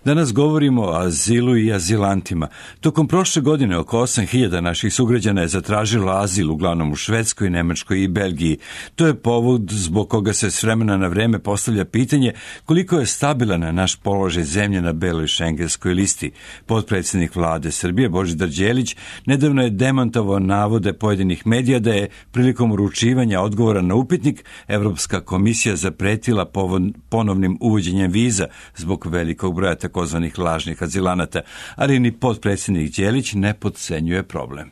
Danas govorimo o azilu i azilantima. Tokom prošle godine oko 8.000 naših sugrađana je zatražilo azil, uglavnom u Švedskoj, Nemačkoj i Belgiji. To je povod zbog koga se s vremena na vreme postavlja pitanje koliko je stabilan naš položaj zemlje na beloj šengenskoj listi. Potpredsjednik vlade Srbije Božidar Đelić nedavno je demantovao navode pojedinih medija da je prilikom uručivanja odgovora na upitnik Evropska komisija zapretila ponovnim uvođenjem viza zbog velikog broja takozvanih lažnih azilanata, ali ni potpredsjednik Đelić ne potcenjuje problem.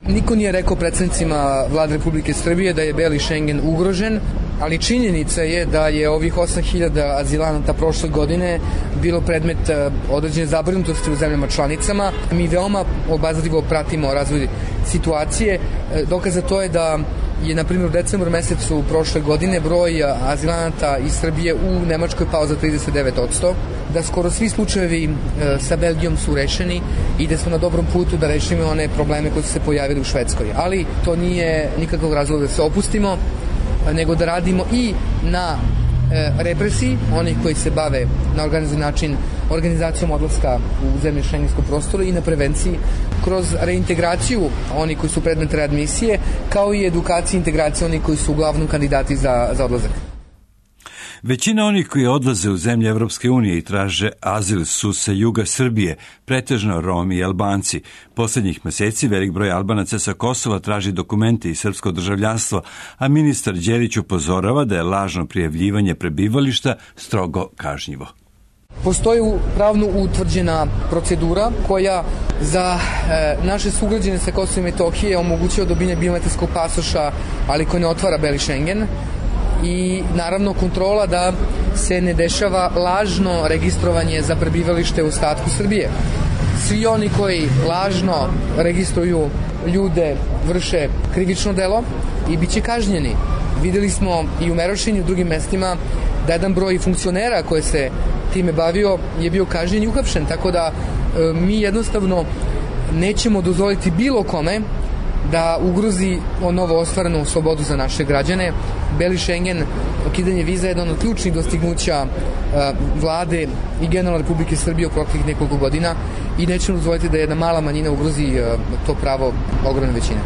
Niko nije rekao predsjednicima Vlade Republike Srbije da je beli Šengen ugrožen, ali činjenica je da je ovih 8.000 azilanata prošle godine bilo predmet određene zabrinutosti u zemljama članicama. Mi veoma obazrivo pratimo razvoj situacije. Dokaz za to je da je, na primjer, u decembru mesecu prošle godine broj azilanata iz Srbije u Nemačkoj pao za 39%, da skoro svi slučajevi sa Belgijom su rešeni i da smo na dobrom putu da rešimo one probleme koji su se pojavili u Švedskoj. Ali to nije nikakvog razloga da se opustimo, nego da radimo i na represiji onih koji se bave na organizovan način organizacijom odlaska u zemlje šengenskog prostora i na prevenciji kroz reintegraciju onih koji su predmet readmisije, kao i edukaciju i integraciju onih koji su uglavnom kandidati za odlazak. Većina onih koji odlaze u zemlje Evropske unije i traže azil su sa juga Srbije, pretežno Romi i Albanci. Poslednjih meseci velik broj Albanaca sa Kosova traži dokumente i srpsko državljanstvo, a ministar Đelić upozorava da je lažno prijavljivanje prebivališta strogo kažnjivo. Postoji pravno utvrđena procedura koja za naše sugrađane sa Kosova i Metohije omogućuje dobijanje biometrijskog pasoša, ali koji ne otvara beli Šengen, i naravno kontrola da se ne dešava lažno registrovanje za prebivalište u ostatku Srbije. Svi oni koji lažno registruju ljude vrše krivično delo i bit će kažnjeni. Videli smo i u Merošini i u drugim mestima da jedan broj funkcionera koji se time bavio je bio kažnjen i uhapšen, tako da mi jednostavno nećemo dozvoliti bilo kome da ugrozi novo ostvarenu slobodu za naše građane. Beli Šengen, ukidanje viza je jedan od ključnih dostignuća vlade i generalne Republike Srbije u proteklih nekoliko godina i nećemo dozvoliti da jedna mala manjina ugrozi to pravo ogromne većine.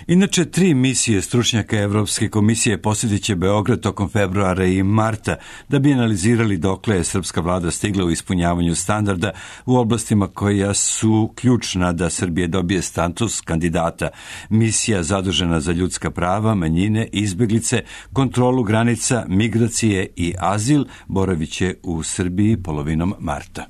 Inače, 3 misije stručnjaka Evropske komisije posjetit će Beograd tokom februara i marta da bi analizirali dokle je srpska vlada stigla u ispunjavanju standarda u oblastima koja su ključna da Srbije dobije status kandidata. Misija zadužena za ljudska prava, manjine, izbeglice, kontrolu granica, migracije i azil boravit će u Srbiji polovinom marta.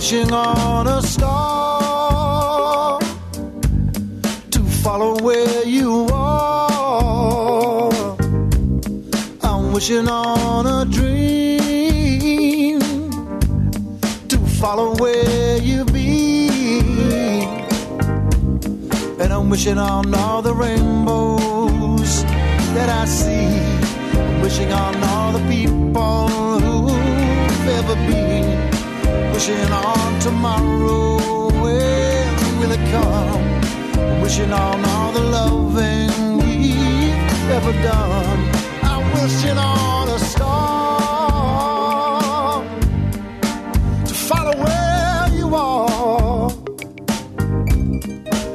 Wishing on a star to follow where you are. I'm wishing on a dream to follow where you've been. And I'm wishing on all the rainbows that I see. I'm wishing on all the people who've ever been. Wishing on tomorrow, when will it come? Wishing on all the loving we've ever done. I'm wishing on a star to follow where you are.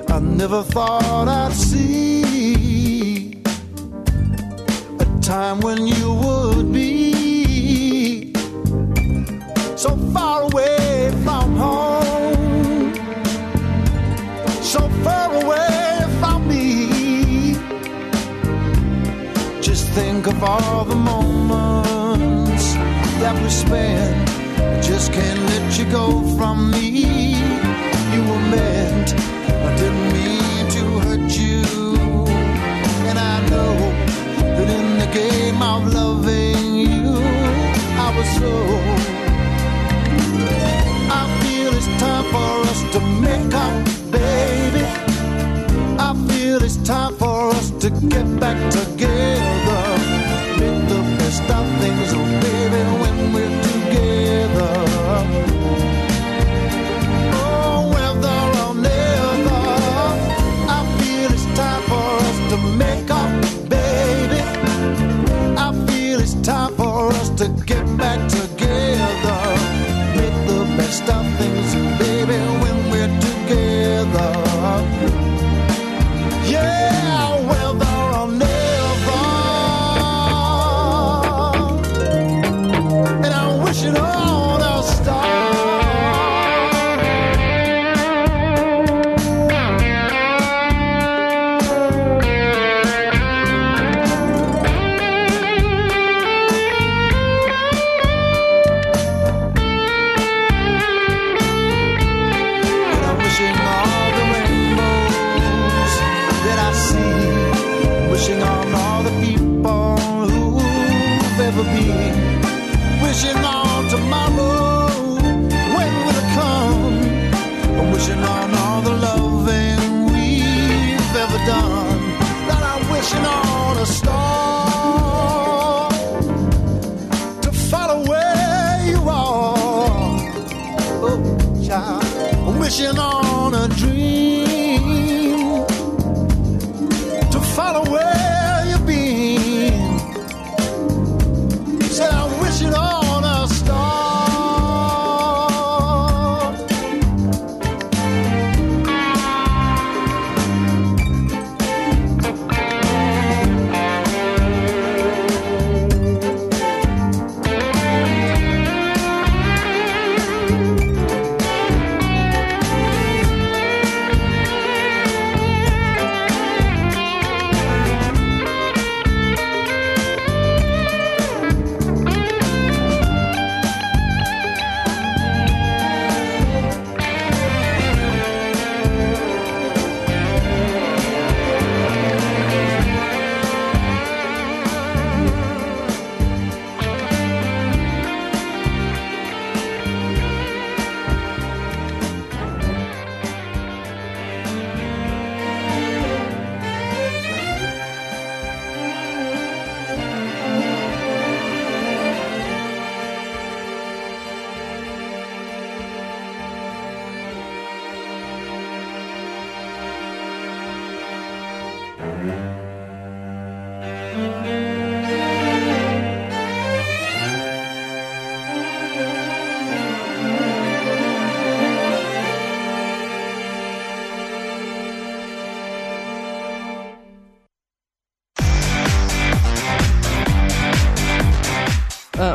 I never thought I'd see a time when you would be so far away from home, so far away from me. Just think of all the moments that we spent. I just can't let you go from me. You were meant, I didn't mean to hurt you. And I know that in the game of loving you, I was soul. I feel it's time for us to make up, baby. I feel it's time for us to get back together. Make the best of things, oh baby, when we're together. Oh, whether or never, I feel it's time for us to make up, baby. I feel it's time for us to get back together. Make the best of things, baby, when we're together. Yeah, whether or never. And I wish it on a star. Wishing on all the people who've ever been. Wishing on tomorrow, when will it come? I'm wishing on all the loving we've ever done. That I'm wishing on a star to follow where you are. Oh, child, I'm wishing on a dream to follow where you've been. Said I'm wishing on a star.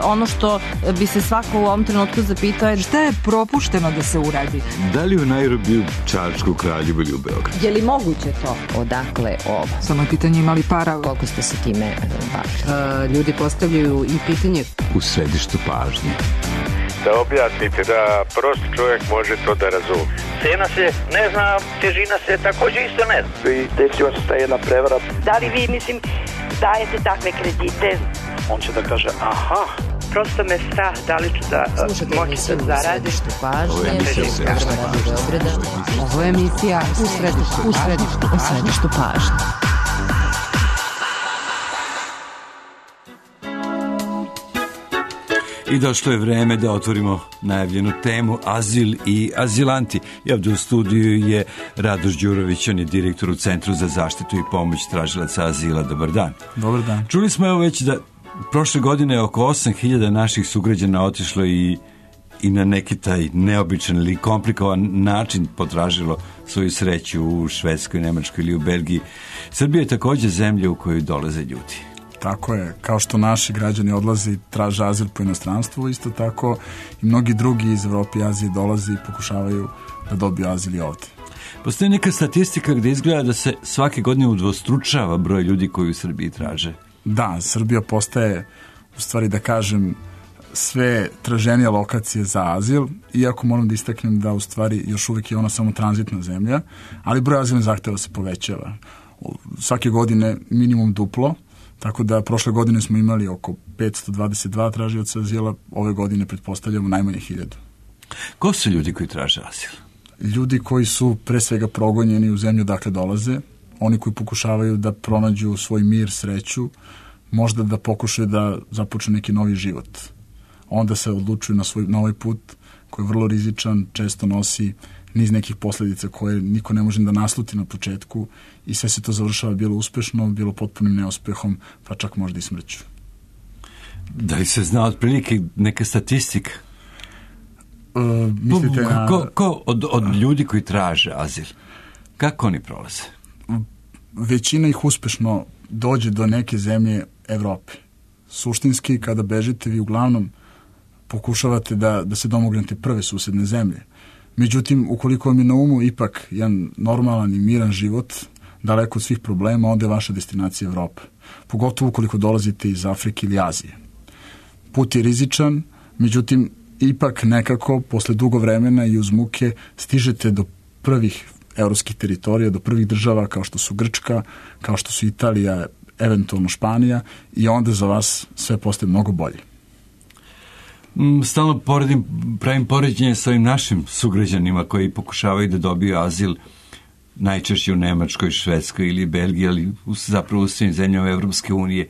Ono što bi se svako u ovom trenutku zapitao je šta je propušteno da se uradi. Da li u Nairobiju, Čačku, Kraljevu ili u Beogradu? Je li moguće to? Odakle ovo? Samo je pitanje imali para. Koliko ste se time bavili? Ljudi postavljaju i pitanje. U središtu pažnje. Da objasnite, da prost čovjek može to da razumije. Cena se ne zna, težina se također isto ne zna. I desila se ta jedna prevara. Da li vi, dajete takve kredite? On će da kaže, aha. Prosto me strah, da li ću da moći da zaradim. Ovo je emisija u središtu pažnje. I došlo je vreme da otvorimo najavljenu temu azil i azilanti. I ovdje u studiju je Radoš Đurović, on je direktor u Centru za zaštitu i pomoć tražilaca azila. Dobar dan. Dobar dan. Čuli smo evo već da prošle godine oko 8.000 naših sugrađana otišlo i na neki taj neobičan ili komplikovan način potražilo svoju sreću u Švedskoj, Nemačkoj ili u Belgiji. Srbija je također zemlja u kojoj dolaze ljudi. Tako je, kao što naši građani odlaze i traže azil po inostranstvu, isto tako i mnogi drugi iz Evrope i Azije dolaze i pokušavaju da dobiju azil i ovdje. Postoji neka statistika gdje izgleda da se svake godine udvostručava broj ljudi koji u Srbiji traže. Da, Srbija postaje, u stvari da kažem, sve traženije lokacije za azil, iako moram da istaknem da u stvari još uvijek je ona samo tranzitna zemlja, ali broj azilnih zahtjeva se povećava. Svake godine minimum duplo, tako da prošle godine smo imali oko 1522 tražioca azila, ove godine pretpostavljamo najmanje 1000. Ko su ljudi koji traže azil? Ljudi koji su pre svega progonjeni u zemlju dakle dolaze, oni koji pokušavaju da pronađu svoj mir, sreću, možda da pokušaju da započnu neki novi život. Onda se odlučuju na svoj novi put koji je vrlo rizičan, često nosi niz nekih posledica koje niko ne može da nasluti na početku i sve se to završava bilo uspešno, bilo potpunim neuspehom, pa čak možda i smrću. Da li se zna otprilike neka statistika? Mislite na... Ko od ljudi koji traže azil, kako oni prolaze? Većina ih uspešno dođe do neke zemlje Evrope. Suštinski, kada bežite, vi uglavnom pokušavate da se domognete prve susedne zemlje. Međutim, ukoliko vam je na umu ipak jedan normalan i miran život, daleko od svih problema, onda je vaša destinacija Evropa. Pogotovo ukoliko dolazite iz Afrike ili Azije. Put je rizičan, međutim, ipak nekako, posle dugo vremena i uz muke, stižete do prvih evropskih teritorija, do prvih država kao što su Grčka, kao što su Italija, eventualno Španija, i onda za vas sve postaje mnogo bolje. Stalno pravim poređenje sa ovim našim sugrađanima koji pokušavaju da dobiju azil najčešće u Nemačkoj, Švedskoj ili Belgiji, ali zapravo u svim zemljama Evropske unije.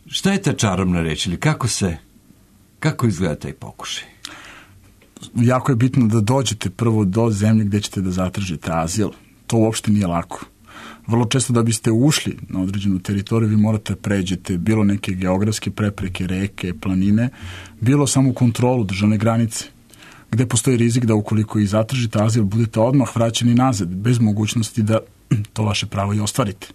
Šta je ta čarobna reč ili kako izgleda taj pokušaj? Jako je bitno da dođete prvo do zemlje gde ćete da zatražite azil. To uopšte nije lako. Vrlo često da biste ušli na određenu teritoriju, vi morate pređete bilo neke geografske prepreke, reke, planine, bilo samo kontrolu državne granice, gde postoji rizik da ukoliko i zatražite azil, budete odmah vraćeni nazad, bez mogućnosti da to vaše pravo i ostvarite.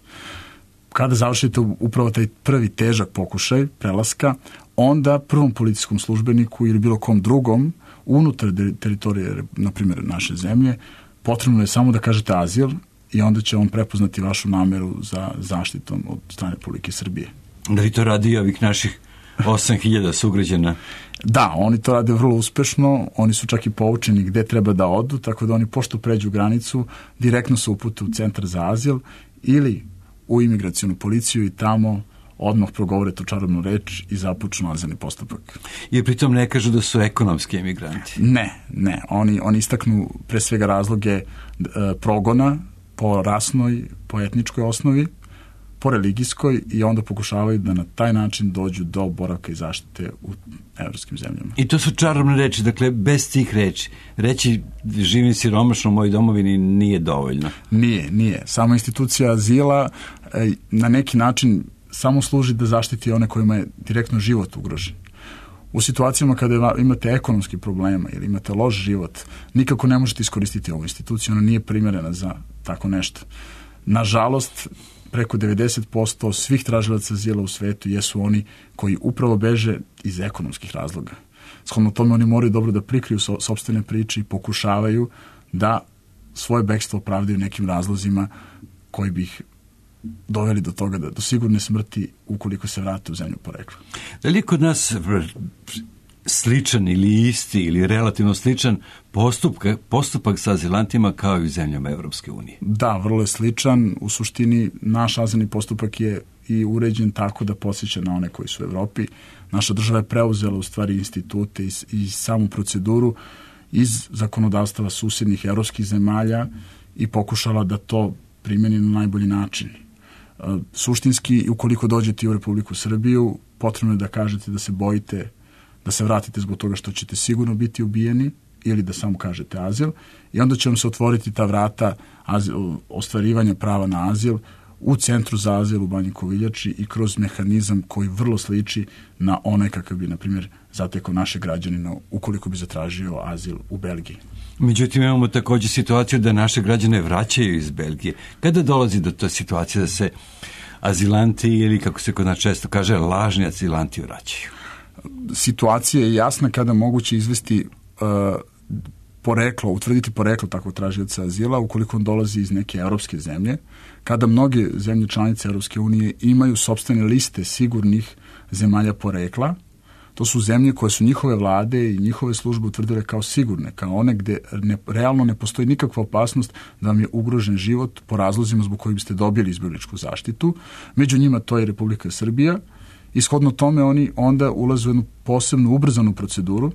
Kada završite upravo taj prvi težak pokušaj prelaska, onda prvom policijskom službeniku ili bilo kom drugom unutar teritorije, na primjer, naše zemlje, potrebno je samo da kažete azil i onda će on prepoznati vašu nameru za zaštitom od strane Republike Srbije. Da li to radi i ovih naših 8000 sugrađana? Da, oni to rade vrlo uspešno, oni su čak i poučeni gde treba da odu, tako da oni pošto pređu granicu, direktno se upute u centar za azil ili u imigracionu policiju i tamo odmah progovore tu čarobnu reč i započnu azilni postupak. I pritom ne kažu da su ekonomski emigranti? Ne. Oni istaknu pre svega razloge progona po rasnoj, po etničkoj osnovi, po religijskoj i onda pokušavaju da na taj način dođu do boravka i zaštite u evropskim zemljama. I to su čarobne reči, dakle bez tih reči. Reći živim siromašno u mojoj domovini nije dovoljno. Nije. Sama institucija azila na neki način samo služi da zaštiti one kojima je direktno život ugrožen. U situacijama kada imate ekonomski problema ili imate loš život, nikako ne možete iskoristiti ovu instituciju, ona nije primjerena za tako nešto. Nažalost, preko 90% svih tražilaca azila u svetu jesu oni koji upravo beže iz ekonomskih razloga. Shodno tome oni moraju dobro da prikriju sopstvene priče i pokušavaju da svoje bekstvo opravdaju nekim razlozima koji bi ih doveli do toga do sigurne smrti ukoliko se vrate u zemlju porekla. Da li je kod nas sličan ili isti ili relativno sličan postupak sa azilantima kao i u zemljama Evropske unije? Da, vrlo je sličan. U suštini naš azilni postupak je i uređen tako da podsjeća na one koji su u Evropi. Naša država je preuzela u stvari institute i samu proceduru iz zakonodavstava susednih evropskih zemalja i pokušala da to primjeni na najbolji način. Suštinski, ukoliko dođete u Republiku Srbiju, potrebno je da kažete da se bojite da se vratite zbog toga što ćete sigurno biti ubijeni ili da samo kažete azil i onda će vam se otvoriti ta vrata ostvarivanja prava na azil u centru za azil u Banji Koviljači i kroz mehanizam koji vrlo sliči na onaj kakav bi, na primjer, zatekao naše građanina ukoliko bi zatražio azil u Belgiji. Međutim, imamo također situaciju da naše građane vraćaju iz Belgije. Kada dolazi do te situacije da se azilanti ili, kako se kod nas često kaže, lažni azilanti vraćaju? Situacija je jasna kada moguće izvesti utvrditi poreklo takvog tražioca azila ukoliko on dolazi iz neke evropske zemlje, kada mnoge zemlje članice Evropske unije imaju sopstvene liste sigurnih zemalja porekla. To su zemlje koje su njihove vlade i njihove službe utvrdile kao sigurne, kao one gde realno ne postoji nikakva opasnost da vam je ugrožen život po razlozima zbog kojih biste dobili izbjegličku zaštitu. Među njima to je Republika Srbija Ishodno tome oni onda ulaze u jednu posebnu ubrzanu proceduru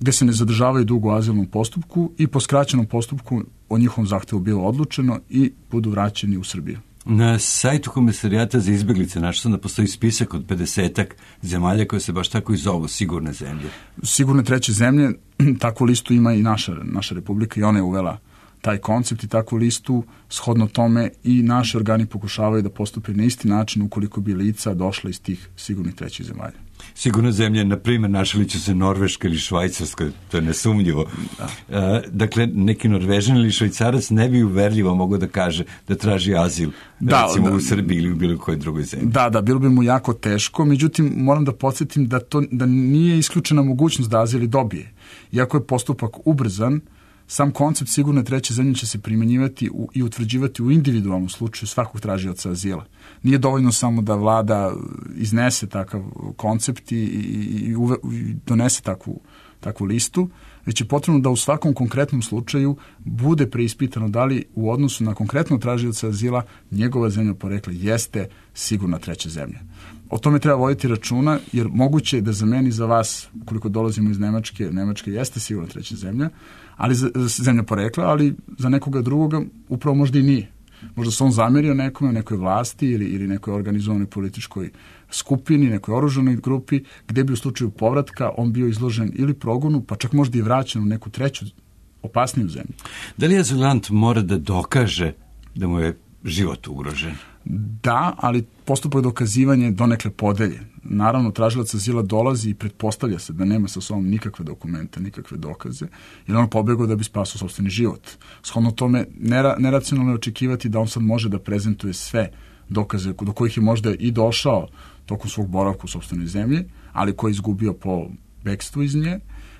gde se ne zadržavaju dugo u azilnom postupku i po skraćenom postupku o njihovom zahtevu bilo odlučeno i budu vraćeni u Srbiju. Na sajtu Komesarijata za izbeglice našao sam da postoji spisak od 50-ak zemalja koje se baš tako i zovu sigurne zemlje. Sigurne treće zemlje, takvu listu ima i naša republika i ona je uvela taj koncept i takvu listu, shodno tome i naši organi pokušavaju da postupe na isti način ukoliko bi lica došla iz tih sigurnih trećih zemalja. Sigurne zemlje, na primjer, našli će se Norveška ili Švajcarska, to je nesumnjivo. Da. Dakle, neki Norvežan ili Švajcarac ne bi uverljivo mogao da kaže da traži azil, recimo u Srbiji ili u bilo kojoj drugoj zemlji. Da, bilo bi mu jako teško, međutim, moram da podsjetim da nije isključena mogućnost da azil dobije. Iako je postupak ubrzan, sam koncept sigurne treće zemlje će se primjenjivati i utvrđivati u individualnom slučaju svakog tražioca azila. Nije dovoljno samo da vlada iznese takav koncept i donese takvu listu, već je potrebno da u svakom konkretnom slučaju bude preispitano da li u odnosu na konkretno tražioca azila njegova zemlja porekla jeste sigurna treća zemlja. O tome treba voditi računa, jer moguće je da za meni, za vas, koliko dolazimo iz Nemačke jeste sigurna treća zemlja, ali zemlja porekla, ali za nekoga drugoga upravo možda i nije. Možda se on zamerio nekome, nekoj vlasti ili nekoj organizovanoj političkoj skupini, nekoj oružanoj grupi, gde bi u slučaju povratka on bio izložen ili progonu, pa čak možda i vraćen u neku treću opasniju zemlju. Da li azilant mora da dokaže da mu je život ugrožen? Da, ali postupak dokazivanja je donekle podeljen. Naravno, tražilac azila dolazi i pretpostavlja se da nema sa sobom nikakve dokumente, nikakve dokaze, jer on pobegao da bi spasao sopstveni život. Shodno tome, neracionalno je očekivati da on sad može da prezentuje sve dokaze do kojih je možda i došao tokom svog boravka u sopstvenoj zemlji, ali koji je izgubio po bekstvu iz nje,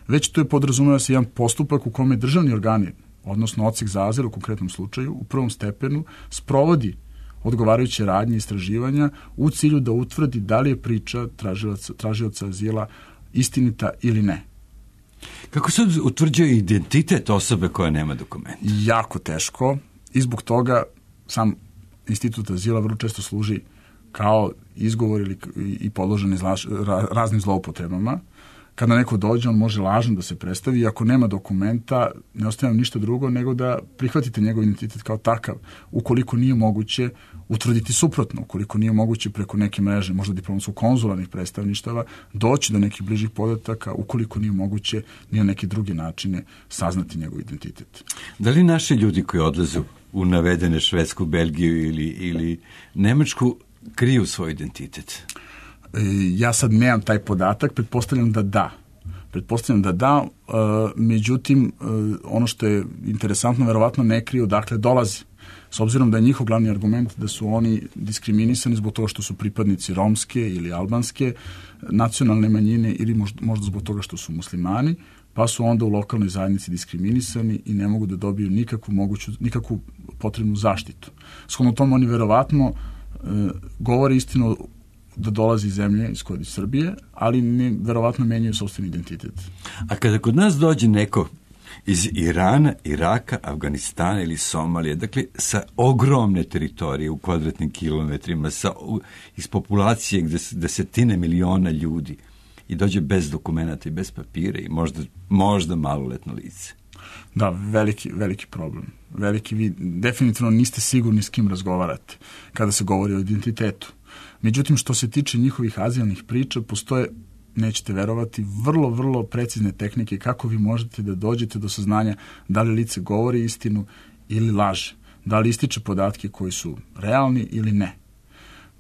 već to je podrazumeva se jedan postupak u kome državni organi, odnosno odsek za azil u konkretnom slučaju, u prvom stepenu sprovodi odgovarajuće radnje istraživanja u cilju da utvrdi da li je priča tražioca azila istinita ili ne. Kako se utvrđuje identitet osobe koja nema dokumenta? Jako teško i zbog toga sam institut azila vrlo često služi kao izgovor i podložen raznim zloupotrebama. Kada neko dođe, on može lažno da se predstavi i ako nema dokumenta, ne ostaje vam ništa drugo nego da prihvatite njegov identitet kao takav, ukoliko nije moguće utvrditi suprotno, ukoliko nije moguće preko neke mreže, možda diplomatskog konzularnih predstavništava, doći do nekih bližih podataka, ukoliko nije moguće ni na neke druge načine saznati njegov identitet. Da li naši ljudi koji odlaze u navedene Švedsku, Belgiju ili Nemačku kriju svoj identitet? Ja sad nemam taj podatak, pretpostavljam da da, međutim, ono što je interesantno, verovatno ne kriju odakle dolaze. S obzirom da je njihov glavni argument da su oni diskriminisani zbog toga što su pripadnici romske ili albanske nacionalne manjine ili možda zbog toga što su muslimani, pa su onda u lokalnoj zajednici diskriminisani i ne mogu da dobiju nikakvu potrebnu zaštitu. Shodno tome oni verovatno govore istinu da dolazi iz zemlje iz Srbije, ali verovatno menjaju sopstveni identitet. A kada kod nas dođe neko iz Irana, Iraka, Afganistana ili Somalije, dakle sa ogromne teritorije u kvadratnim kilometrima, iz populacije gde desetine miliona ljudi i dođe bez dokumenta i bez papira i možda maloletno lice. Da, veliki problem. Vi definitivno niste sigurni s kim razgovarate kada se govori o identitetu. Međutim, što se tiče njihovih azilnih priča, postoje, nećete verovati, vrlo precizne tehnike kako vi možete da dođete do saznanja da li lice govori istinu ili laže, da li ističe podatke koji su realni ili ne.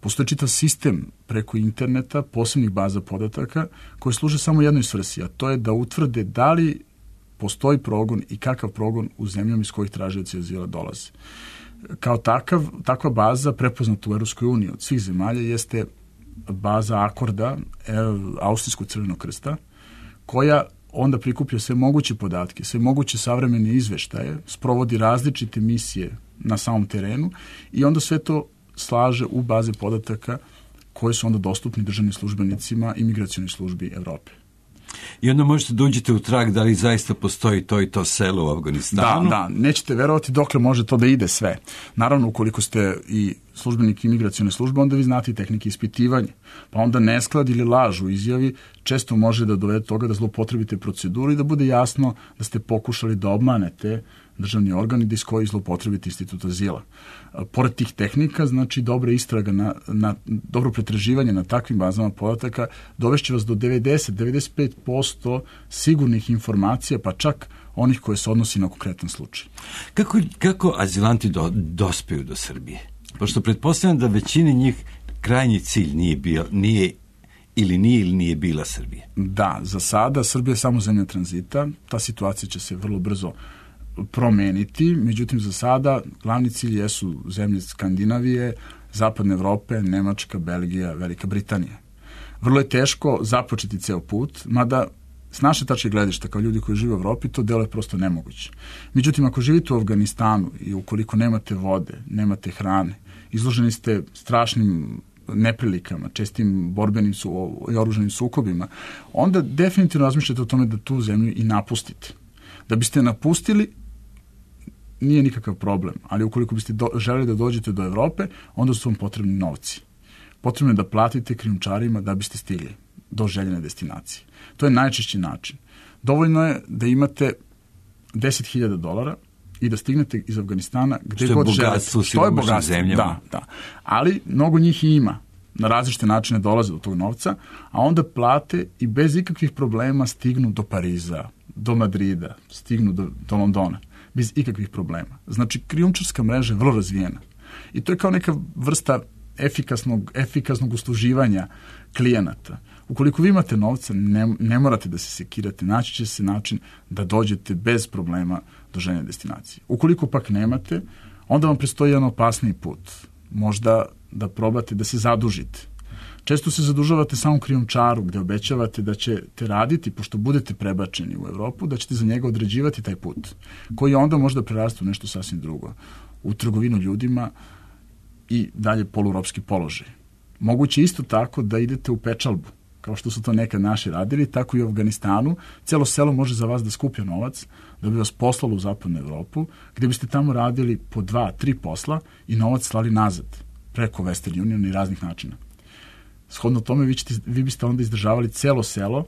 Postoji čitav sistem preko interneta, posebnih baza podataka, koji služe samo jednoj svrsi, a to je da utvrde da li postoji progon i kakav progon u zemljama iz kojih tražioci azila dolaze. Kao takva baza prepoznata u Europskoj uniji od svih zemalja jeste baza Akorda, Austrijskog crvenog krsta, koja onda prikuplja sve moguće podatke, sve moguće savremene izveštaje, sprovodi različite misije na samom terenu i onda sve to slaže u baze podataka koje su onda dostupni državnim službenicima imigracionih službi Evrope. I onda možete da uđete u trag da li zaista postoji to i to selo u Afganistanu. Da, nećete verovati dokle može to da ide sve. Naravno, ukoliko ste i službenik imigracione službe, onda vi znate i tehnike ispitivanja. Pa onda nesklad ili laž u izjavi često može da dovede toga da zloupotrebite proceduru i da bude jasno da ste pokušali da obmanete državni organ i da iz koji zloupotrebite institut azila. Pored tih tehnika, znači dobra istraga, dobro pretraživanje na takvim bazama podataka dovešće vas do 90-95% sigurnih informacija, pa čak onih koje se odnosi na konkretan slučaj. Kako azilanti dospeju do Srbije? Pošto pretpostavljam da većini njih krajnji cilj nije bila Srbija. Da, za sada Srbija je samo zemlja tranzita, ta situacija će se vrlo brzo promeniti, međutim za sada glavni cilj jesu zemlje Skandinavije, Zapadne Evrope, Nemačka, Belgija, Velika Britanija. Vrlo je teško započeti ceo put, mada s naše tačke gledišta kao ljudi koji žive u Evropi to delo je prosto nemoguće. Međutim, ako živite u Afganistanu i ukoliko nemate vode, nemate hrane, izloženi ste strašnim neprilikama, čestim borbenim i oružanim sukobima, onda definitivno razmišljate o tome da tu zemlju i napustite. Da biste napustili, nije nikakav problem, ali ukoliko biste želeli da dođete do Evrope, onda su vam potrebni novci. Potrebno je da platite krijumčarima da biste stigli do željene destinacije. To je najčešći način. Dovoljno je da imate $10.000 i da stignete iz Afganistana gde god želite. Što je bogatstvo zemljama. Da. Ali mnogo njih i ima. Na različite načine dolaze do tog novca, a onda plate i bez ikakvih problema stignu do Pariza, do Madrida, stignu do Londona. Bez ikakvih problema. Znači, krijumčarska mreža je vrlo razvijena. I to je kao neka vrsta efikasnog usluživanja klijenata. Ukoliko vi imate novca, ne morate da se sekirate, naći će se način da dođete bez problema do željene destinacije. Ukoliko pak nemate, onda vam predstoji jedan opasniji put. Možda da probate da se zadužite. Često se zadužavate samom krijumčaru gde obećavate da ćete raditi, pošto budete prebačeni u Evropu, da ćete za njega određivati taj put, koji onda možda preraste u nešto sasvim drugo. U trgovinu ljudima i dalje poluropski položaj. Moguće isto tako da idete u pečalbu, kao što su to nekad naši radili, tako i u Afganistanu. Celo selo može za vas da skuplja novac, da bi vas poslalo u Zapadnu Evropu, gde biste tamo radili po 2-3 posla i novac slali nazad, preko Western Union i raznih načina. Shodno tome, vi biste onda izdržavali celo selo,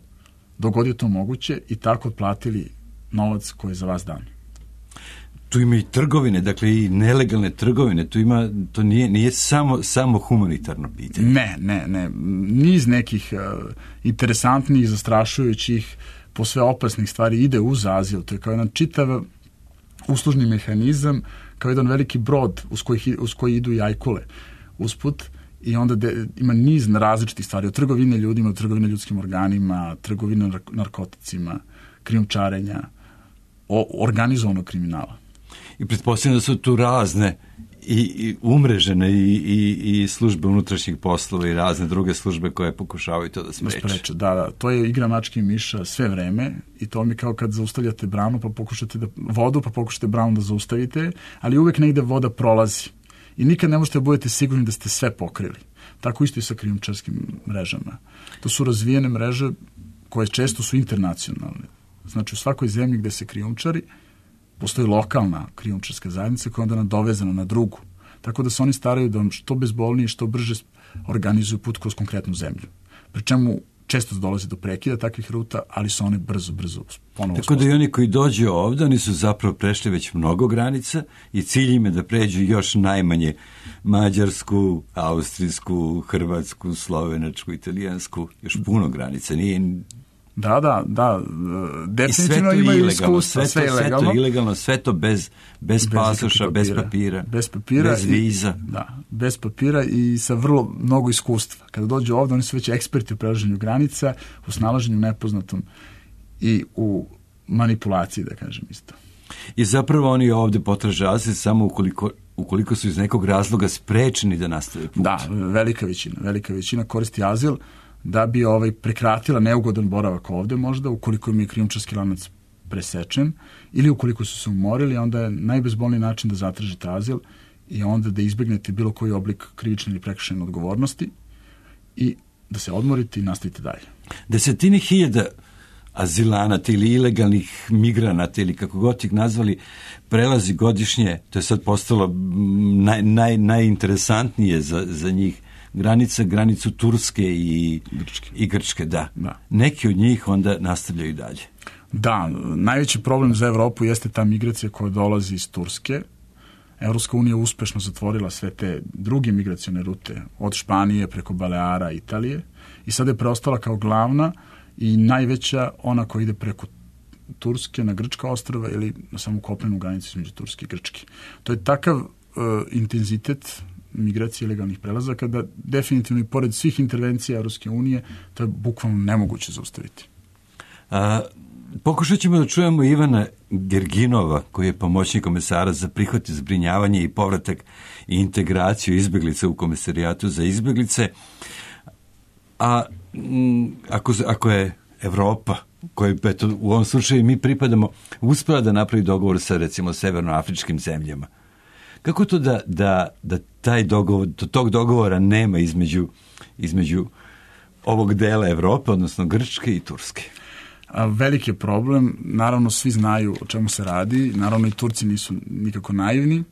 dok god je to moguće, i tako otplatili novac koji je za vas dan. Tu ima i trgovine, dakle i nelegalne trgovine, to nije samo humanitarno pitanje. Ne. Niz nekih interesantnih, zastrašujućih, posve opasnih stvari ide uz azil. To je kao jedan čitav uslužni mehanizam, kao jedan veliki brod uz koji idu i ajkule usput, i onda ima niz različitih stvari, od trgovine ljudima, od trgovine ljudskim organima, trgovine narkoticima, krijumčarenja, organizovanog kriminala. I pretpostavljam da su tu razne i umrežene i službe unutrašnjih poslova i razne druge službe koje pokušavaju to da spreče. Da, to je igra mačke i miša sve vreme i to mi kao kad zaustavljate branu pa pokušate branu da zaustavite, ali uvek negde voda prolazi. I nikad ne možete da budete sigurni da ste sve pokrili. Tako isto i sa krijumčarskim mrežama. To su razvijene mreže koje često su internacionalne. Znači u svakoj zemlji gde se krijumčari postoji lokalna krijumčarska zajednica koja je onda nadovezana na drugu. Tako da se oni staraju da vam što bezbolnije, što brže organizuju put kroz konkretnu zemlju. Pri čemu često dolazi do prekida takvih ruta, ali su one brzo ponovo. Tako da i oni koji dođu ovdje, oni su zapravo prešli već mnogo granica i cilj im je da pređu još najmanje mađarsku, austrijsku, hrvatsku, slovenačku, italijansku, još puno granica. Da, definitivno imaju iskustva, sve ilegalno. Sve to ilegalno, sve to bez pasoša, bez papira, bez viza. Bez papira i sa vrlo mnogo iskustva. Kada dođu ovdje, oni su već eksperti u prelaženju granica, u snalaženju nepoznatom i u manipulaciji, da kažem isto. I zapravo oni ovdje potraže azil samo ukoliko su iz nekog razloga sprečeni da nastave put. Da, velika većina koristi azil da bi prekratila neugodan boravak ovde možda, ukoliko im je krijumčarski lanac presečen ili ukoliko su se umorili, onda je najbezbolniji način da zatražite azil i onda da izbegnete bilo koji oblik krivične ili prekršajne odgovornosti i da se odmorite i nastavite dalje. Desetine hiljada azilanata ili ilegalnih migranata ili kako god ih nazvali prelazi godišnje, to je sad postalo najinteresantnije za njih, granicu Turske i Grčke, da. Neki od njih onda nastavljaju dalje. Da, najveći problem za Evropu jeste ta migracija koja dolazi iz Turske. Evropska unija uspešno zatvorila sve te druge migracione rute od Španije preko Baleara, Italije i sada je preostala kao glavna i najveća ona koja ide preko Turske na Grčka ostrva ili na samu kopnenu granicu između Turske i Grčke. To je takav intenzitet migracije ilegalnih prelazaka da definitivno i pored svih intervencija Evropske unije to je bukvalno nemoguće zaustaviti. Pokušat ćemo da čujemo Ivana Gerginova, koji je pomoćnik komesara za prihvat i zbrinjavanje i povratak i integraciju izbeglica u Komesarijatu za izbeglice. A ako je Evropa, koji u ovom slučaju mi pripadamo, uspela da napravi dogovor sa recimo severnoafričkim zemljama, kako to da taj dogovor, tog dogovora nema između ovog dela Evrope, odnosno Grčke i Turske? Veliki je problem, naravno svi znaju o čemu se radi, naravno i Turci nisu nikako naivni,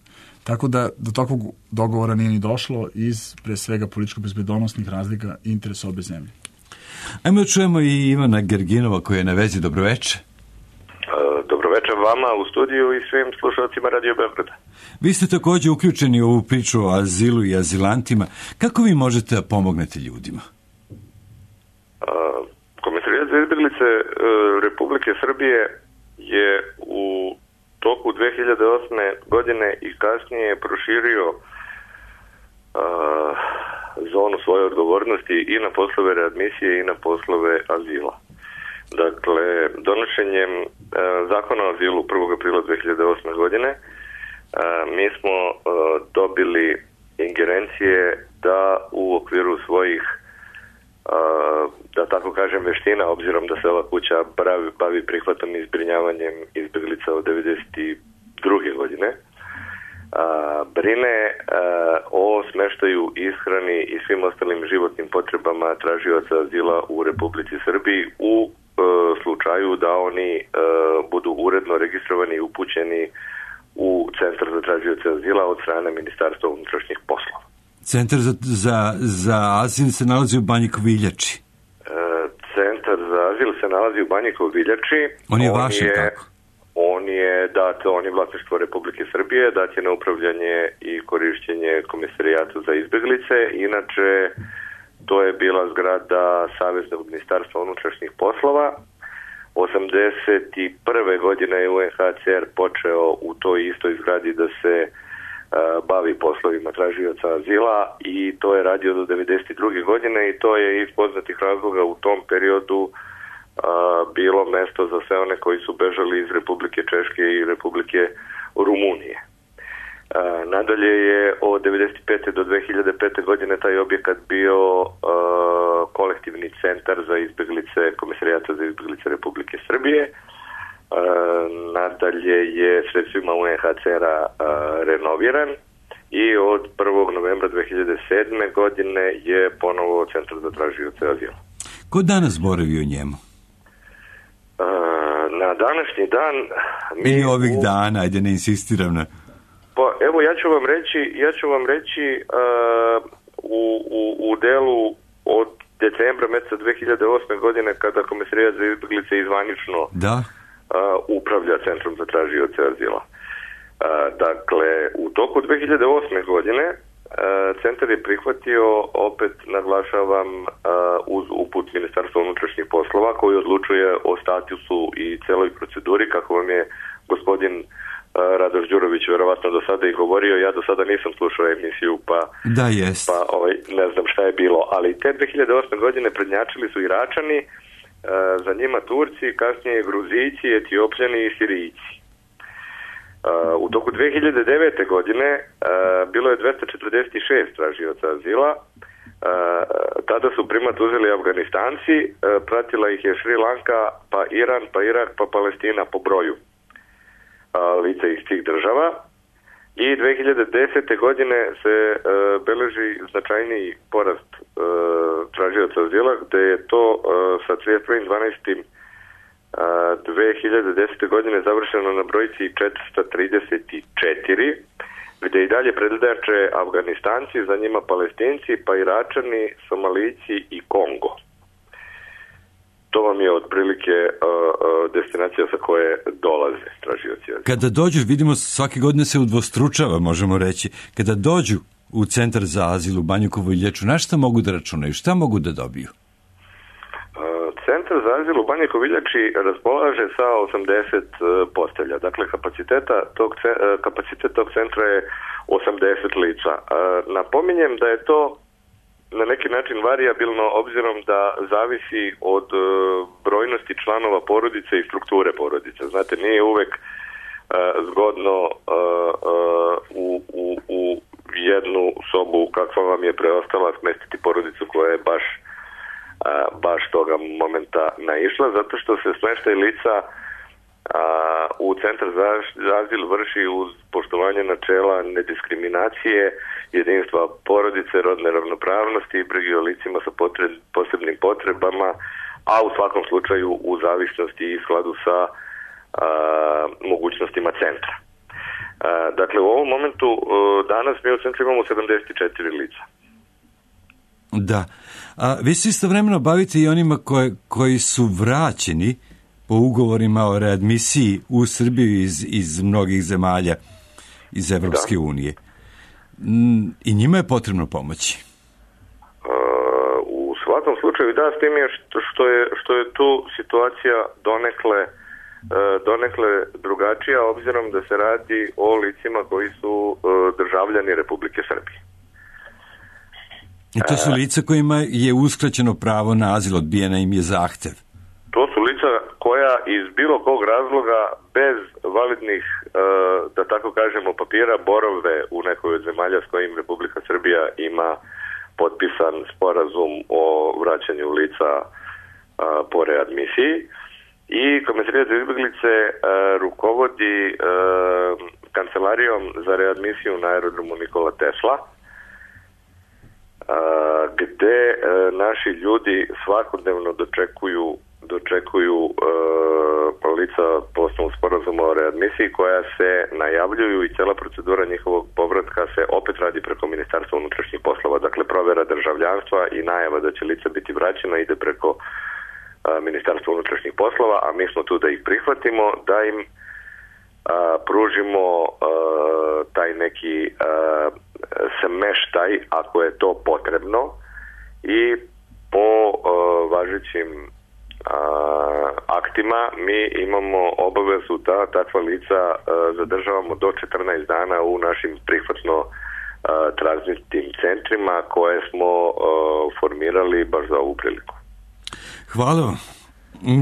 tako da do takvog dogovora nije ni došlo iz pre svega političko-bezbednosnih razlika i interesa obe zemlje. Ajmo da čujemo i Ivana Gerginova koja je na vezi. Dobroveče. Dobroveče vama u studiju i svim slušalcima Radio Beograda. Vi ste također uključeni u ovu priču o azilu i azilantima. Kako vi možete da pomognete ljudima? Komesarijat za izbeglice Republike Srbije je u toku 2008. godine i kasnije proširio zonu svoje odgovornosti i na poslove readmisije i na poslove azila. Dakle, donošenjem zakona o azilu 1. aprila 2008. godine mi smo dobili ingerencije da u okviru svojih da tako kažem veština, obzirom da se ova kuća bavi prihvatom i zbrinjavanjem izbeglica od 1992. godine, brine o smeštaju, ishrani i svim ostalim životnim potrebama tražioca azila u Republici Srbiji u slučaju da oni budu uredno registrovani i upućeni u Centar za tražioce azila od strane Ministarstva unutrašnjih poslova. Centar za azil se nalazi u Banji Koviljači. Centar za azil se nalazi u Banji Koviljači. On je vaš, tako? On je dat, on je vlasništvo Republike Srbije, dat je na upravljanje i korišćenje Komesarijatu za izbeglice. Inače, to je bila zgrada Saveznog ministarstva unutrašnjih poslova. 1981. godine je UNHCR počeo u toj istoj zgradi da se bavi poslovima tražioca azila i to je radio do 1992. godine i to je iz poznatih razloga u tom periodu bilo mesto za sve one koji su bežali iz Republike Češke i Republike Rumunije. Nadalje je od 1995. do 2005. godine taj objekat bio kolektivni centar za izbeglice Komesarijata za izbeglice Republike Srbije. Nadalje je sredstvima UNHCR-a renoviran i od 1. novembra 2007. godine je ponovo Centar za tražioce azila. Ko danas boravi u njemu? Na današnji dan... Ili ovih dana, ajde ne insistiram na... Pa evo ja ću vam reći u delu od decembra meseca 2008. godine kada Komesarijat za izbeglice izvanično upravlja Centrom za tražioce azila. Dakle, u toku 2008. godine centar je prihvatio, opet naglašavam, uz uput Ministarstva unutrašnjih poslova koji odlučuje o statusu i celoj proceduri, kako vam je gospodin Radoš Đurović verovatno do sada i govorio. Ja do sada nisam slušao emisiju pa ne znam šta je bilo, ali te 2008. godine prednjačili su Iračani, za njima Turci, kasnije Gruzijci, Etiopljani i Sirijci. U toku 2009. godine bilo je 246 tražioca azila. Tada su primat uzeli Afganistanci, pratila ih je Šri Lanka, pa Iran, pa Irak, pa Palestina po broju lica iz tih država. I 2010. godine se beleži značajniji porast tražioca azila, gde je to sa 31.12. 2010. godine završeno na brojci 434, gde i dalje predljače Afganistanci, za njima Palestinci, pa Iračani, Somalijci i Kongo. To vam je otprilike destinacija sa koje dolaze tražioci azila. Kada dođu, vidimo svake godine se udvostručava, možemo reći, kada dođu u centar za azil u Banjukovu Iljaču, na šta mogu da računaju, šta mogu da dobiju? Centar za azil u Banjukovu Iljači raspolaže sa 80 postelja. Dakle, kapacitet tog centra je 80 lica. Napominjem da je to na neki način varijabilno, obzirom da zavisi od brojnosti članova porodice i strukture porodice. Znate, nije uvek zgodno u jednu sobu kakva vam je preostala smestiti porodicu koja je baš toga momenta naišla, zato što se smeštaj lica u centar za azil vrši uz poštovanje načela nediskriminacije, jedinstva porodice, rodne ravnopravnosti i brige o licima sa posebnim potrebama, a u svakom slučaju u zavisnosti i skladu sa mogućnostima centra. Dakle, u ovom momentu danas mi u centru imamo 74 lica. Da. A vi se istovremeno bavite i onima koji su vraćeni po ugovorima o readmisiji u Srbiju iz mnogih zemalja iz Evropske unije. I njima je potrebno pomoći. U svakom slučaju da, s tim je što je tu situacija donekle drugačija, obzirom da se radi o licima koji su državljani Republike Srbije. I to su lica kojima je uskraćeno pravo na azil, odbijena im je zahtev. To su lica koja iz bilo kog razloga bez validnih, da tako kažemo, papira borave u nekoj od zemalja s kojim Republika Srbija ima potpisan sporazum o vraćanju lica po readmisiji. I Komesarijat za izbeglice rukovodi kancelarijom za readmisiju na aerodromu Nikola Tesla, gde naši ljudi svakodnevno dočekuju lica po osnovu sporazuma o readmisiji koja se najavljuju i cela procedura njihovog povratka se opet radi preko Ministarstva unutrašnjih poslova. Dakle, provera državljanstva i najava da će lica biti vraćena ide preko Ministarstva unutrašnjih poslova, a mi smo tu da ih prihvatimo, da im pružimo taj neki smeštaj ako je to potrebno i po važećim aktima mi imamo obavezu da takva lica zadržavamo do 14 dana u našim prihvatno tranzitnim centrima koje smo formirali baš za ovu priliku. Hvala vam.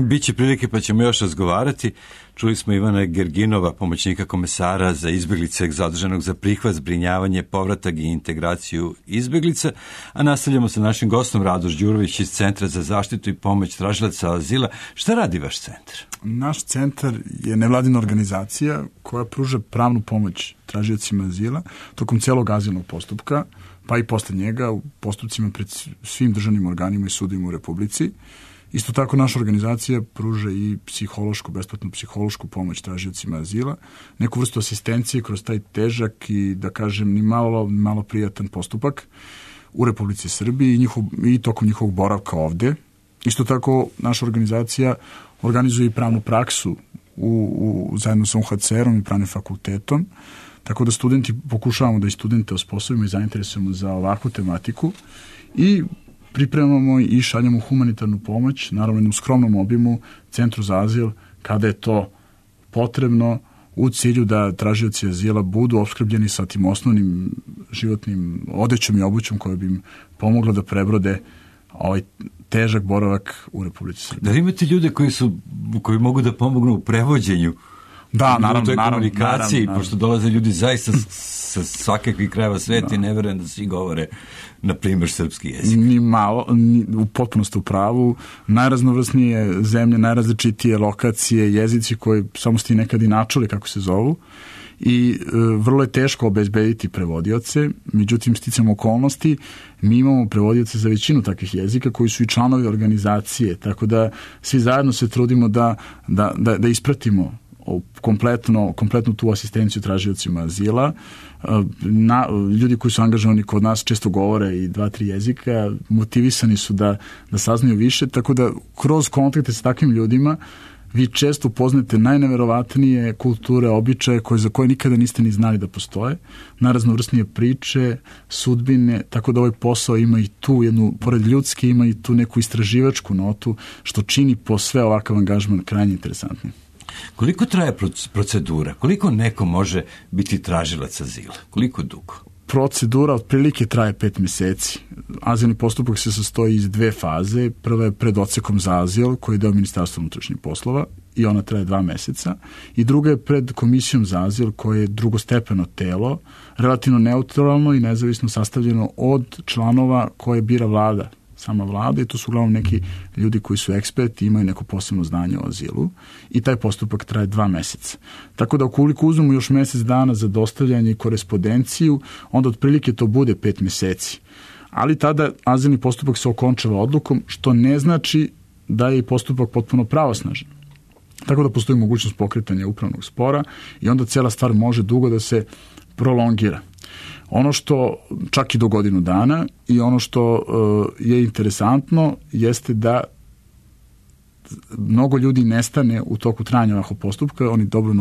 Biće prilike pa ćemo još razgovarati. Čuli smo Ivana Gerginova, pomoćnika komesara za izbeglice zadržanog za prihvat, zbrinjavanje, povratak i integraciju izbeglica, a nastavljamo sa našim gostom Radoš Đurović iz Centra za zaštitu i pomoć tražilaca azila. Šta radi vaš centar? Naš centar je nevladina organizacija koja pruža pravnu pomoć tražiocima azila tokom celog azilnog postupka, pa i posle njega u postupcima pred svim državnim organima i sudovima u Republici. Isto tako naša organizacija pruža i besplatnu psihološku pomoć tražiocima azila, neku vrstu asistencije kroz taj težak i, da kažem, ni malo prijatan postupak u Republici Srbiji i tokom njihovog boravka ovde. Isto tako naša organizacija organizuje i pravnu praksu zajedno sa UNHCR-om i pravnim fakultetom, tako da pokušavamo da i studente osposobimo i zainteresujemo za ovakvu tematiku i pripremamo i šaljamo humanitarnu pomoć, naravno u skromnom obimu, Centru za azil, kada je to potrebno, u cilju da tražioci azila budu opskrbljeni sa tim osnovnim životnim odećom i obućom koja bi im pomogla da prebrode ovaj težak boravak u Republici Srbiji. Da imate ljude koji mogu da pomognu u prevođenju? Da, naravno. U toj komunikaciji, pošto dolaze ljudi zaista sa svakakvih krajeva sveta i ne verujem da svi govore, na primjer, srpski jezik. Ni malo, u potpunosti u pravu. Najraznovrsnije zemlje, najrazličitije lokacije, jezici koji samo ste nekad i načuli kako se zovu. i vrlo je teško obezbediti prevodioce, međutim sticam okolnosti mi imamo prevodioce za većinu takvih jezika koji su i članovi organizacije, tako da svi zajedno se trudimo da ispratimo kompletnu tu asistenciju tražiocima azila. Ljudi koji su angažovani kod nas često govore i 2-3 jezika, motivisani su da saznaju više, tako da kroz kontakte sa takvim ljudima vi često upoznate najneverovatnije kulture, običaje za koje nikada niste ni znali da postoje, najraznovrsnije priče, sudbine, tako da ovaj posao ima i tu jednu, pored ljudske, ima i tu neku istraživačku notu, što čini po sve ovakav angažman krajnje interesantnim. Koliko traje procedura? Koliko neko može biti tražilac azila? Koliko dugo? Procedura otprilike traje 5 meseci. Azilni postupak se sastoji iz 2 faze. Prva je pred odsekom za azil, koji je deo Ministarstva unutrašnjih poslova i ona traje 2 meseca. I druga je pred komisijom za azil, koje je drugostepeno telo, relativno neutralno i nezavisno sastavljeno od članova koje bira vlada. Sama vlada i to su uglavnom neki ljudi koji su eksperti, imaju neko posebno znanje o azilu i taj postupak traje 2 meseca. Tako da ukoliko uzmemo još mesec dana za dostavljanje i korespondenciju, onda otprilike to bude 5 meseci. Ali tada azilni postupak se okončava odlukom, što ne znači da je postupak potpuno pravosnažan. Tako da postoji mogućnost pokretanja upravnog spora i onda cela stvar može dugo da se prolongira. Ono što čak i do godinu dana i ono što je interesantno jeste da mnogo ljudi nestane u toku trajanja ovakvog postupka, oni dobro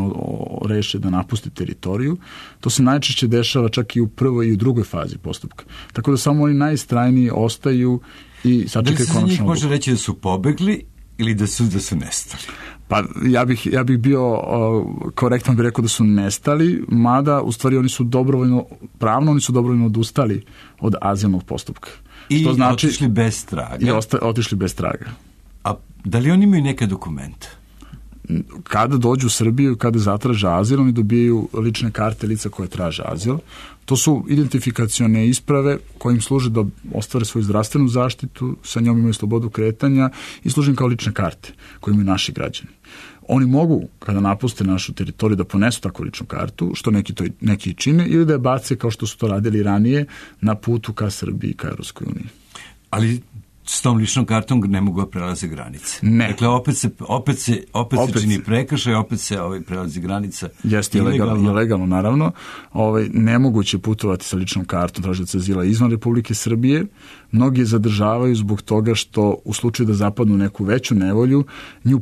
reše da napuste teritoriju. To se najčešće dešava čak i u prvoj i u drugoj fazi postupka. Tako da samo oni najistrajniji ostaju i sačekaju konačno. Da li se za njih može reći da su pobegli ili da su nestali? Pa ja bih bio korektan, bih rekao da su nestali, mada u stvari oni su pravno odustali od azilnog postupka. I što znači, otišli bez traga. I otišli bez traga. A da li oni imaju neke dokumente? Kada dođu u Srbiju i kada zatraže azil, oni dobijaju lične karte lica koje traže azil. To su identifikacione isprave koje im služe da ostvare svoju zdravstvenu zaštitu, sa njom imaju slobodu kretanja i služe im kao lične karte koje imaju naši građani. Oni mogu, kada napuste našu teritoriju, da ponesu takvu ličnu kartu, što neki čine, ili da je bace kao što su to radili ranije na putu ka Srbiji i ka Evropskoj uniji. Ali s tom ličnom kartom ne mogu prelaze granice. Ne. Dakle, opet se čini prekršaj, opet se prelazi granica. Jeste, ilegalno, naravno. Nemoguće putovati sa ličnom kartom tražioca azila izvan Republike Srbije. Mnogi je zadržavaju zbog toga što u slučaju da zapadnu u neku veću nevolju, nju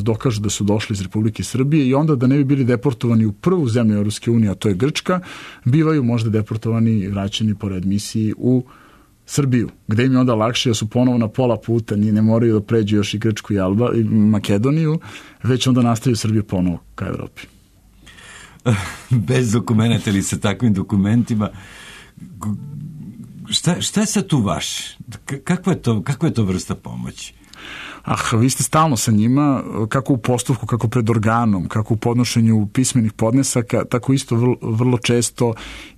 dokažu da su došli iz Republike Srbije i onda da ne bi bili deportovani u prvu zemlju Evropske unije, a to je Grčka, bivaju možda deportovani i vraćeni po readmisiji u Srbiju, gde im je onda lakše, da su ponovo na pola puta, ne moraju da pređu još i Grčku i Makedoniju, već onda nastavaju Srbiju ponovo ka Evropi. Bez dokumenta ili sa takvim dokumentima, šta je sad tu vaš? Kakva je to vrsta pomoći? Vi ste stalno sa njima, kako u postupku, kako pred organom, kako u podnošenju pismenih podnesaka, tako isto vrlo često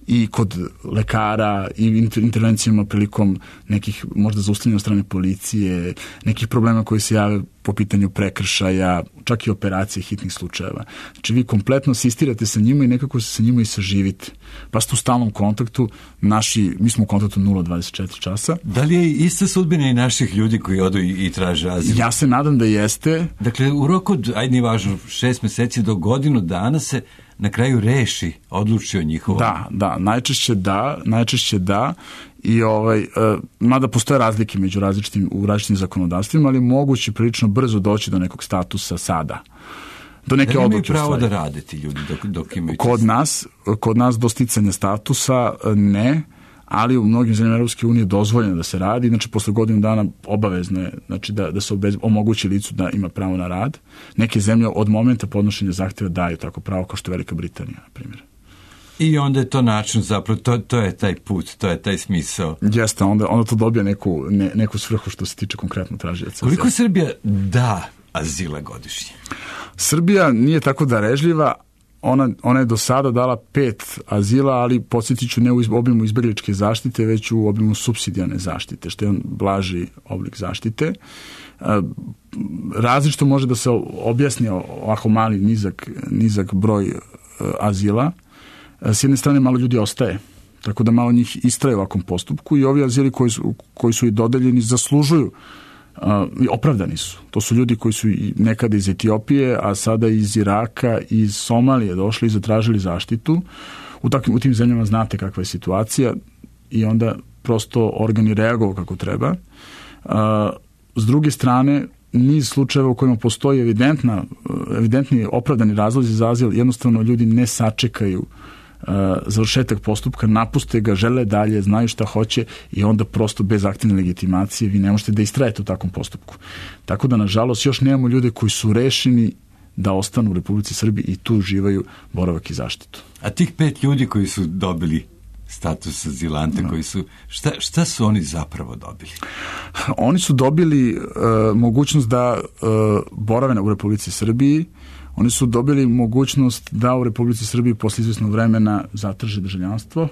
i kod lekara i intervencijama prilikom nekih možda zaustavljanja od strane policije, nekih problema koji se jave po pitanju prekršaja, čak i operacije hitnih slučajeva. Znači vi kompletno asistirate sa njima i nekako se sa njima i saživite. Pa ste u stalnom kontaktu, mi smo u kontaktu 0-24 časa. Da li je ista sudbina i naših ljudi koji odu i traže azil? Ja se nadam da jeste. Dakle, u roku od, nije važno, 6 meseci do godinu dana se na kraju odluči o njihovom. Da, najčešće da. I mada postoje razlike među različitim zakonodavstvima, ali moguće prilično brzo doći do nekog statusa sada. Do neke odluke. Imaju pravo da rade ti ljudi dok imaju... Kod nas do sticanja statusa ne, ali u mnogim zemljama Evropske unije dozvoljeno da se radi, znači posle godinu dana obavezno je da se omogući licu da ima pravo na rad. Neke zemlje od momenta podnošenja zahtjeva daju tako pravo, kao što je Velika Britanija, na primjer. I onda je to način, zapravo, to je taj put, to je taj smisao. Jeste, onda to dobija neku svrhu što se tiče konkretno tražioca. Koliko Srbija da azila godišnje? Srbija nije tako darežljiva. Ona je do sada dala 5 azila, ali podsjetit ću ne u obimu izbegličke zaštite, već u obimu supsidijarne zaštite, što je on blaži oblik zaštite. Različito može da se objasni ovako mali nizak broj azila, s jedne strane malo ljudi ostaje, tako da malo njih istraje u ovakvom postupku i ovi azili koji su i dodeljeni zaslužuju, opravdani su. To su ljudi koji su nekada iz Etiopije, a sada iz Iraka, iz Somalije došli i zatražili zaštitu. U tim zemljama znate kakva je situacija i onda prosto organi reaguju kako treba. S druge strane, niz slučajeva u kojima postoji evidentni opravdani razlozi za azil, jednostavno ljudi ne sačekaju završetak postupka, napuste ga, žele dalje, znaju šta hoće i onda prosto bez aktivne legitimacije vi ne možete da istrajete u takvom postupku. Tako da, nažalost, još nemamo ljude koji su rešeni da ostanu u Republici Srbiji i tu uživaju boravak i zaštitu. A tih 5 ljudi koji su dobili status azilante, koji su, šta su oni zapravo dobili? Oni su dobili mogućnost da borave u Republici Srbiji. Oni su dobili mogućnost da u Republici Srbiji posle izvesnog vremena zatraže državljanstvo.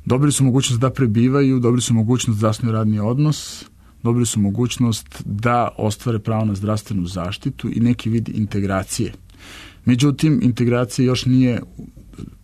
Dobili su mogućnost da prebivaju, dobili su mogućnost da zasnuju radni odnos, dobili su mogućnost da ostvare pravo na zdravstvenu zaštitu i neki vid integracije. Međutim, integracija još nije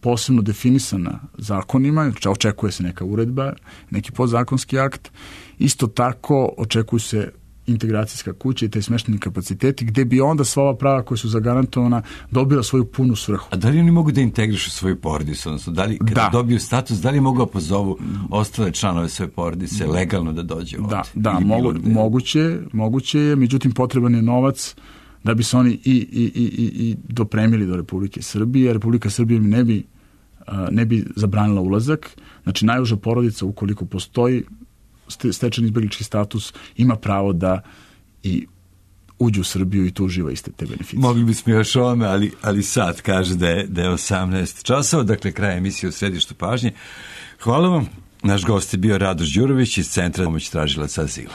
posebno definisana zakonima, očekuje se neka uredba, neki podzakonski akt. Isto tako očekuju se integracijska kuća i taj smeštajni kapaciteti gde bi onda sva ova prava koja su zagarantovana dobila svoju punu svrhu. A da li oni mogu da integrišu svoju porodicu? Odnosno, da li kada dobiju status, da li mogu da pozovu ostale članove svoje porodice legalno da dođe ovdje? Da, moguće je, međutim potreban je novac da bi se oni i dopremili do Republike Srbije. Republika Srbije ne bi zabranila ulazak. Znači, najuža porodica, ukoliko postoji stečen izbeglički status, ima pravo da i uđu u Srbiju i tu uživa iste te beneficije. Mogli bismo još ovome, ali sad kaže da je 18 časova, dakle kraj emisije u središtu pažnje. Hvala vam. Naš gost je bio Radoš Đurović iz Centra pomoć tražilaca azila.